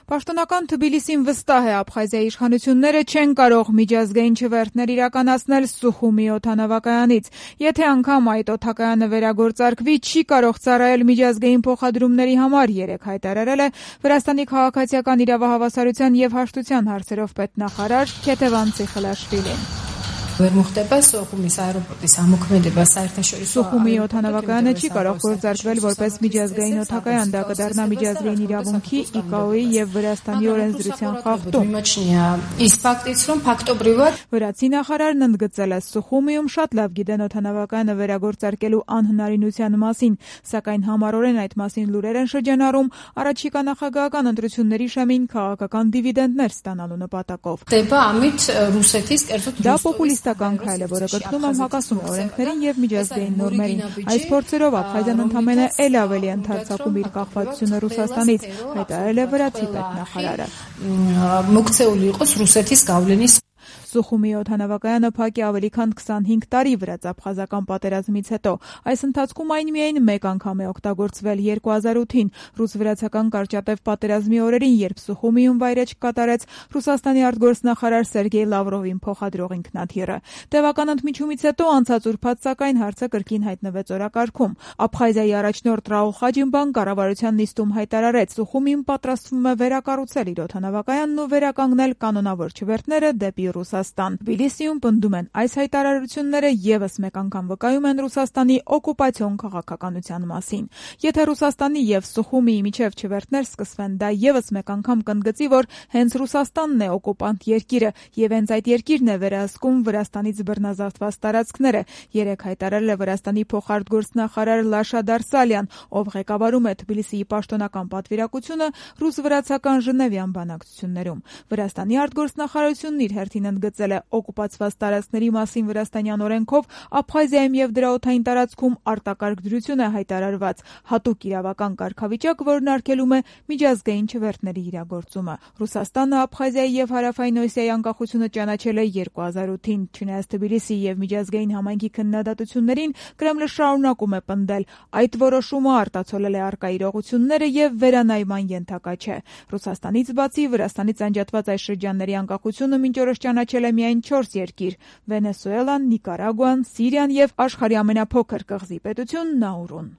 Պաշտոնական Թբիլիսին վստահ է, Աբխազիայի իշխանությունները չեն կարող միջազգային չվերթներ իրականացնել Սուխումի օդանավակայանից։ Եթե անգամ այդ օդակայանը վերագործարկվի, չի կարող ծառայել միջազգային փոխադրումների համար, երեկ հայտարարել է Վրաստանի քաղաքացիական իրավահավասարության եւ հաշտության հարցերով պետնախարար Քեթևան Ցիխլաշվիլին։ Սուխումի օդանավակայանը չի կարող գործարկվել որպես միջազգային օդակայան, դա կդառնա միջազգային իրավունքի, ICAO-ի եւ Վրաստանի օրենսդրության խախտում։ Վրացի նախարարն ընդգծել է, Սուխումիում շատ լավ գիտեն օդանավակայանը վերագործարկելու անհնարինության մասին, սակայն համառորեն այդ մասին լուրեր են շրջանառում առաջիկա նախագահական ընտրությունների շեմին քաղաքական դիվիդենդներ ստանալու նպատակով։ Դա պոպուլիստական քայլ է, որը կրկնում եմ հակասում է օրենքներին եւ միջազգային նորմերին։ Այս փորձերով Աբխազիան ընդամենը էլ ավելի ընդարձակում իր կախվածությունը Ռուսաստանից, հայտարարել է վրացի պետնախարարը։ Սուխումի օդանավակայանը փակ է ավելի քան 25 տարի վրաց-աբխազական պատերազմից հետո։ Այս ընթացքում այն միայն մեկ անգամ է օգտագործվել 2008-ին ռուս-վրացական կարճատև պատերազմի օրերին, երբ Սուխումիում վայրէջք կատարեց Ռուսաստանի արտգործնախարար Սերգեյ Լավրովին փոխադրող ինքնաթիռը։ Տևական ընդմիջումից հետո անցած ուրբաթ սակայն հարցը կրկին հայտնվեց օրակարգում։ Աբխազիայի առաջնորդ Ռաուլ Խաջիմբան կառավարության նիստում հայտարարեց, Սուխումին պատրաստվում է վերակառուցել իր օդանավակայանն ու վերականգնել կանոնավոր չվերթները դեպի Ռուսաստան։ Թբիլիսիում պնդում են, այս հայտարարությունները եւս մեկ անգամ վկայում են Ռուսաստանի օկուպացիոն քաղաքականության մասին։ Եթե Ռուսաստանի եւ Սուխումիի միջև չվերթներ սկսվեն, դա եւս մեկ անգամ կընդգծի, որ հենց Ռուսաստանն է օկուպանտ երկիրը եւ հենց այդ երկիրն է վերահսկում Վրաստանից բռնազավթված տարածքները, երեկ հայտարարել է Վրաստանի փոխարտգործնախարար Լաշա Դարսալյան, ով ղեկավարում է Թբիլիսիի պաշտոնական պատվիրակությունը ռուս-վրացական Ժնևյան բանակցություններում։ Վրաստանի արտգործնախարարությունն իր հերթին ընդգծել է օկուպացված տարածքների մասին վրաստանյան օրենքով Աբխազիայում եւ դրա օդային տարածքում արտակարգ դրություն է հայտարարված հատուկ իրավական կարգավիճակ, որն արգելում է միջազգային չվերթների իրագործումը։ Ռուսաստանը Աբխազիայի եւ Հարավային Օսիայի անկախությունը ճանաչել է 2008-ին, չնայած Թբիլիսի եւ միջազգային համայնքի քննադատություններին, Կրեմլը շարունակում է պնդել, այդ որոշումը արտացոլել է առկա իրողությունները եւ վերանայման ենթակա չէ։ Ռուսաստանից բացի Վրաստանից անջատված այս շրջանների անկախությունը մինչ օրս ճանաչել է միայն 4 երկիր՝ Վենեսուելան, Նիկարագուան, Սիրիան եւ աշխարհի ամենափոքր կղզի պետություն Նաուրուն։